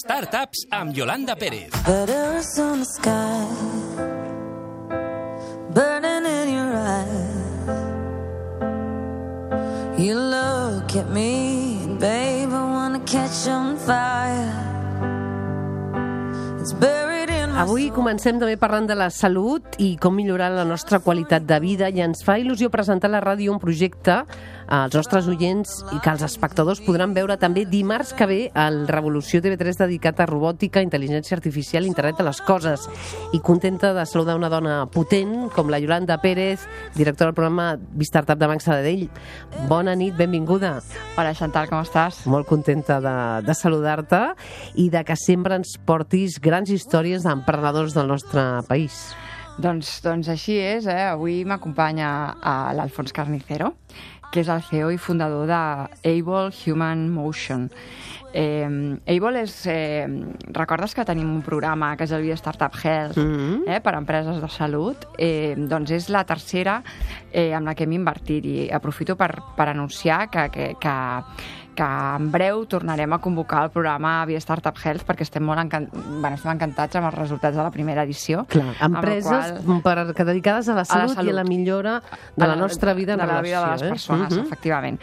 Startups amb Yolanda Pérez. Letters on the sky, burning in your eyes. You look at me, babe, I wanna catch on fire. It's buried in my Avui comencem també parlant de la salut i com millorar la nostra qualitat de vida, i ens fa il·lusió presentar a la ràdio un projecte als nostres oients i que els espectadors podran veure també dimarts que ve al Revolució TV3 dedicat a robòtica, intel·ligència artificial i internet de les coses. I contenta de saludar una dona potent com la Yolanda Pérez, directora del programa Startup de Banc Sabadell. Bona nit, benvinguda. Hola, Chantal, com estàs? Molt contenta de saludar-te i de que sempre ens portis grans històries d'emprenedors del nostre país. Doncs així és, Avui m'acompanya l'Alfons Carnicero, que és el CEO i fundador d'Able Human Motion. Able és... recordes que tenim un programa que es diu Startup Health, per a empreses de salut? Doncs és la tercera amb la que hem invertit, i aprofito per anunciar que en breu tornarem a convocar el programa via Startup Health, perquè estem estem encantats amb els resultats de la primera edició. Clar, empreses dedicades a la salut i a la millora de la nostra vida en relació. De la vida de les persones, efectivament.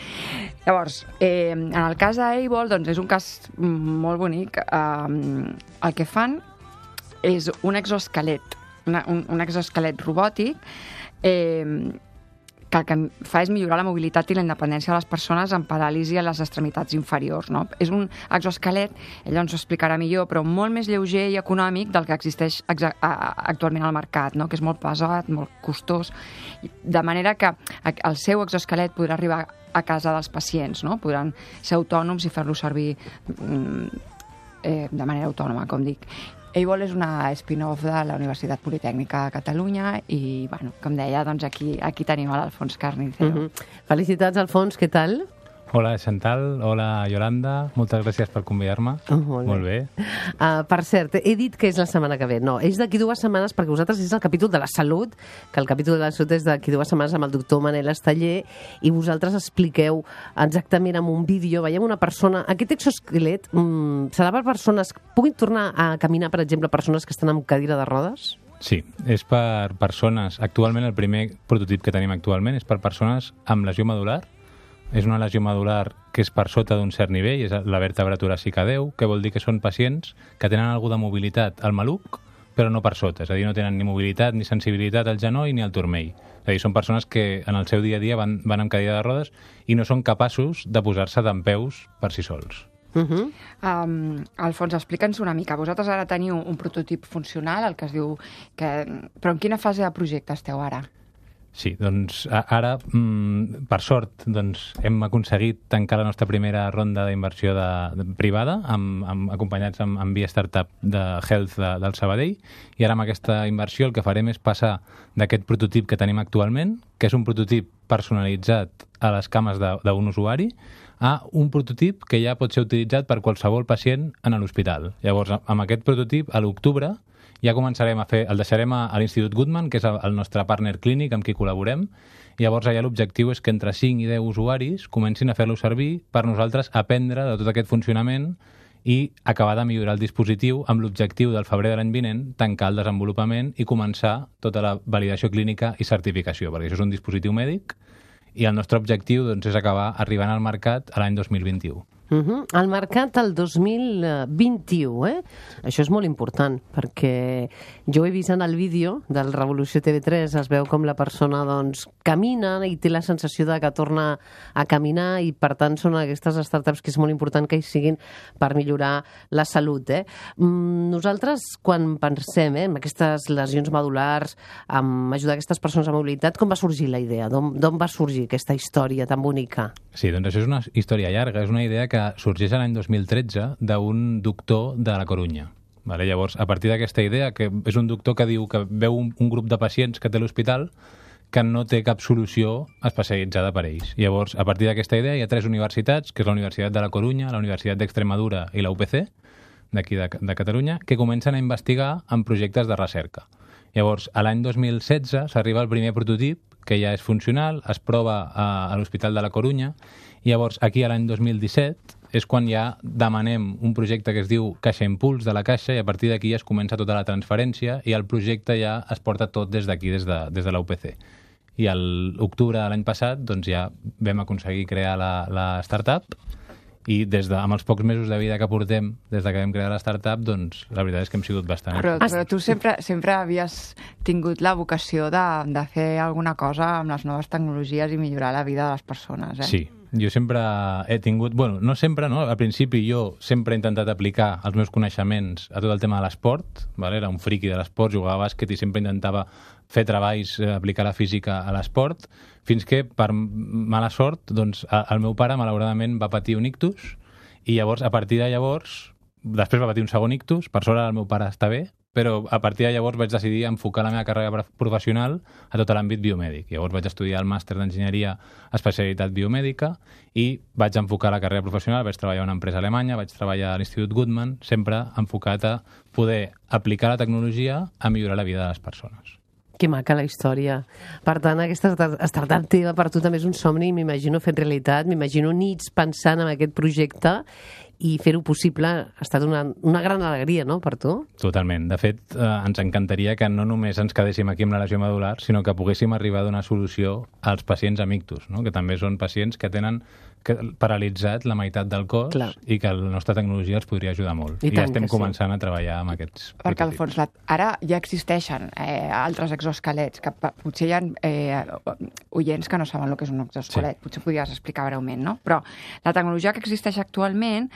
Llavors, en el cas d'Able, doncs és un cas molt bonic. El que fan és un exoesquelet, un exoesquelet robòtic, que el que fa és millorar la mobilitat i la independència de les persones amb paràlisi a les extremitats inferiors. No? És un exoesquelet, ella ens ho explicarà millor, però molt més lleuger i econòmic del que existeix actualment al mercat, no? Que és molt pesat, molt costós, de manera que el seu exoesquelet podrà arribar a casa dels pacients, no? Podran ser autònoms i fer-lo servir de manera autònoma, com dic. Able és una spin-off de la Universitat Politècnica de Catalunya i, bueno, com deia, doncs aquí tenim l'Alfons Carnicero. Felicitats, Alfons, què tal? Hola, Chantal. Hola, Yolanda. Moltes gràcies per convidar-me. Molt bé. Per cert, he dit que és la setmana que ve. No, és d'aquí 2 setmanes, perquè vosaltres és el capítol de la salut, que el capítol de la salut és d'aquí 2 setmanes amb el doctor Manel Esteller, i vosaltres expliqueu exactament amb un vídeo, veiem una persona... Aquest exoesquelet serà per persones que puguin tornar a caminar, per exemple, persones que estan amb cadira de rodes? Sí, és per persones... Actualment, el primer prototip que tenim actualment és per persones amb lesió medular. És una lesió medular que és per sota d'un cert nivell, és la vèrtebra toràcica 10, que vol dir que són pacients que tenen alguna de mobilitat al maluc, però no per sota, és a dir, no tenen ni mobilitat ni sensibilitat al genoll ni al turmell. És a dir, són persones que en el seu dia a dia van amb cadira de rodes i no són capaços de posar-se dempeus per si sols. Alfons, explica'ns una mica. Vosaltres ara teniu un prototip funcional, el que es diu... Però en quina fase de projecte esteu ara? Sí, doncs ara, per sort, doncs, hem aconseguit tancar la nostra primera ronda d'inversió privada, acompanyats amb Via Startup de Health del Sabadell, i ara amb aquesta inversió el que farem és passar d'aquest prototip que tenim actualment, que és un prototip personalitzat a les cames d'un usuari, a un prototip que ja pot ser utilitzat per qualsevol pacient en l'hospital. Llavors, amb aquest prototip, a l'octubre, ja començarem a fer, el deixarem a l'Institut Guttmann, que és el nostre partner clínic amb qui col·laborem. Llavors allà l'objectiu és que entre 5 i 10 usuaris comencin a fer-lo servir per nosaltres aprendre de tot aquest funcionament i acabar de millorar el dispositiu amb l'objectiu del febrer de l'any vinent tancar el desenvolupament i començar tota la validació clínica i certificació, perquè això és un dispositiu mèdic i el nostre objectiu doncs, és acabar arribant al mercat a l'any 2021. Al mercat el 2021, Això és molt important, perquè jo he vist en el vídeo del Revolució TV3, es veu com la persona doncs, camina i té la sensació de que torna a caminar, i per tant són aquestes startups que és molt important que hi siguin per millorar la salut. Nosaltres, quan pensem en aquestes lesions medulars, en ajudar aquestes persones a mobilitat, com va sorgir la idea? D'on va sorgir aquesta història tan bonica? Sí, doncs això és una història llarga, és una idea que sorgeix l'any 2013 d'un doctor de la Corunya. Llavors, a partir d'aquesta idea, que és un doctor que diu que veu un grup de pacients que té a l'hospital que no té cap solució especialitzada per ells. Llavors, a partir d'aquesta idea hi ha 3 universitats, que és la Universitat de la Corunya, la Universitat d'Extremadura i la UPC, d'aquí de Catalunya, que comencen a investigar en projectes de recerca. Llavors, a l'any 2016 s'arriba al primer prototip, que ja és funcional, es prova a l'Hospital de la Corunya, i llavors aquí a l'any 2017 és quan ja demanem un projecte que es diu Caixa Impuls de la Caixa i a partir d'aquí es comença tota la transferència i el projecte ja es porta tot des d'aquí, des de la UPC. I a l'octubre de l'any passat doncs ja vam aconseguir crear la startup i amb els pocs mesos de vida que portem des que vam crear la startup, doncs la veritat és que hem sigut bastant... Però tu sempre havies tingut la vocació de fer alguna cosa amb les noves tecnologies i millorar la vida de les persones, eh? Sí, jo sempre he tingut... Bueno, no sempre, no? Al principi jo sempre he intentat aplicar els meus coneixements a tot el tema de l'esport, ¿vale? Era un friqui de l'esport, jugava a bàsquet i sempre intentava fer treballs, aplicar la física a l'esport, fins que, per mala sort, doncs, el meu pare, malauradament, va patir un ictus, i llavors, a partir de llavors, després va patir un segon ictus, per sort el meu pare està bé, però a partir de llavors vaig decidir enfocar la meva carrera professional a tot l'àmbit biomèdic. Llavors vaig estudiar el màster d'enginyeria especialitat biomèdica i vaig enfocar la carrera professional, vaig treballar a una empresa alemanya, vaig treballar a l'Institut Guttmann, sempre enfocat a poder aplicar la tecnologia a millorar la vida de les persones. Que maca la història. Per tant, aquesta startup teva per tu també és un somni, m'imagino fet realitat, m'imagino nits pensant en aquest projecte i fer-ho possible ha estat una gran alegria, no?, per tu? Totalment. De fet, ens encantaria que no només ens quedéssim aquí amb la lesió medular, sinó que poguéssim arribar a donar solució als pacients amb ictus, no?, que també són pacients que tenen paralitzat la meitat del cos. Clar. I que la nostra tecnologia els podria ajudar molt. I ja estem començant a treballar amb aquests prototips. Perquè, al fons, ara ja existeixen altres exoesquelets, que potser hi ha oients que no saben el que és un exoesquelet. Sí. Potser podries explicar breument, no? Però la tecnologia que existeix actualment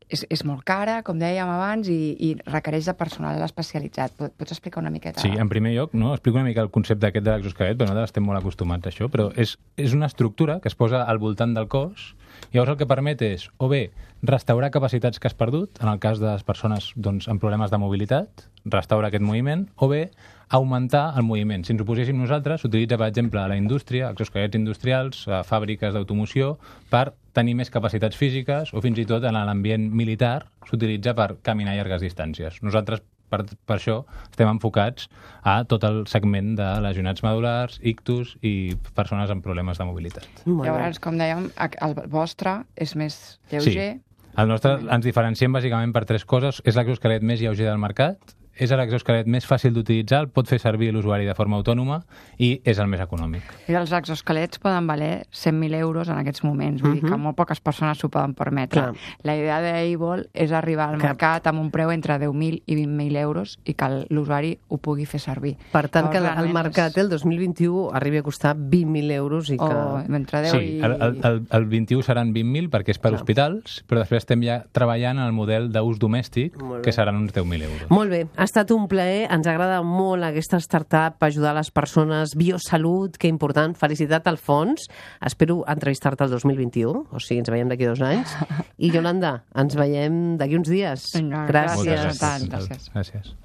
és molt cara, com dèiem abans, i requereix de personal especialitzat. Pots explicar una miqueta? Sí, en primer lloc, no? Explico una mica el concepte aquest de l'exoesquelet, però nosaltres estem molt acostumats a això, però és una estructura que es posa al voltant del cos, i llavors el que permet és, o bé, restaurar capacitats que has perdut, en el cas de les persones doncs, amb problemes de mobilitat, restaurar aquest moviment, o bé, augmentar el moviment. Si ens ho poséssim nosaltres, s'utilitza, per exemple, a la indústria, exoesquelets industrials, a fàbriques d'automoció, per tenir més capacitats físiques, o fins i tot en l'ambient militar s'utilitza per caminar llargues distàncies. Nosaltres, per això, estem enfocats a tot el segment de lesionats medulars, ictus i persones amb problemes de mobilitat. Llavors, com dèiem, el vostre és més lleuger. Sí. El nostre ens diferenciem bàsicament per 3 coses. És l'exoesquelet més lleuger del mercat, és l'exoesquelet més fàcil d'utilitzar, el pot fer servir l'usuari de forma autònoma i és el més econòmic. I els exoesquelets poden valer 100.000 euros en aquests moments, vull dir que molt poques persones s'ho poden permetre. Clar. La idea d'Able és arribar al mercat amb un preu entre 10.000 i 20.000 euros i que l'usuari ho pugui fer servir. Per tant, que el mercat el 2021 arribi a costar 20.000 euros i que... entre 10 sí, el 21 seran 20.000 perquè és per hospitals, però després estem ja treballant en el model d'ús domèstic, que seran uns 10.000 euros. Molt bé. Ha estat un plaer, ens agrada molt aquesta startup, ajudar les persones, biosalut, que important, felicitat al fons. Espero entrevistar-te el 2021, o sigui, ens veiem d'aquí 2 anys. I Iolanda, ens veiem d'aquí uns dies. Gràcies. Gràcies.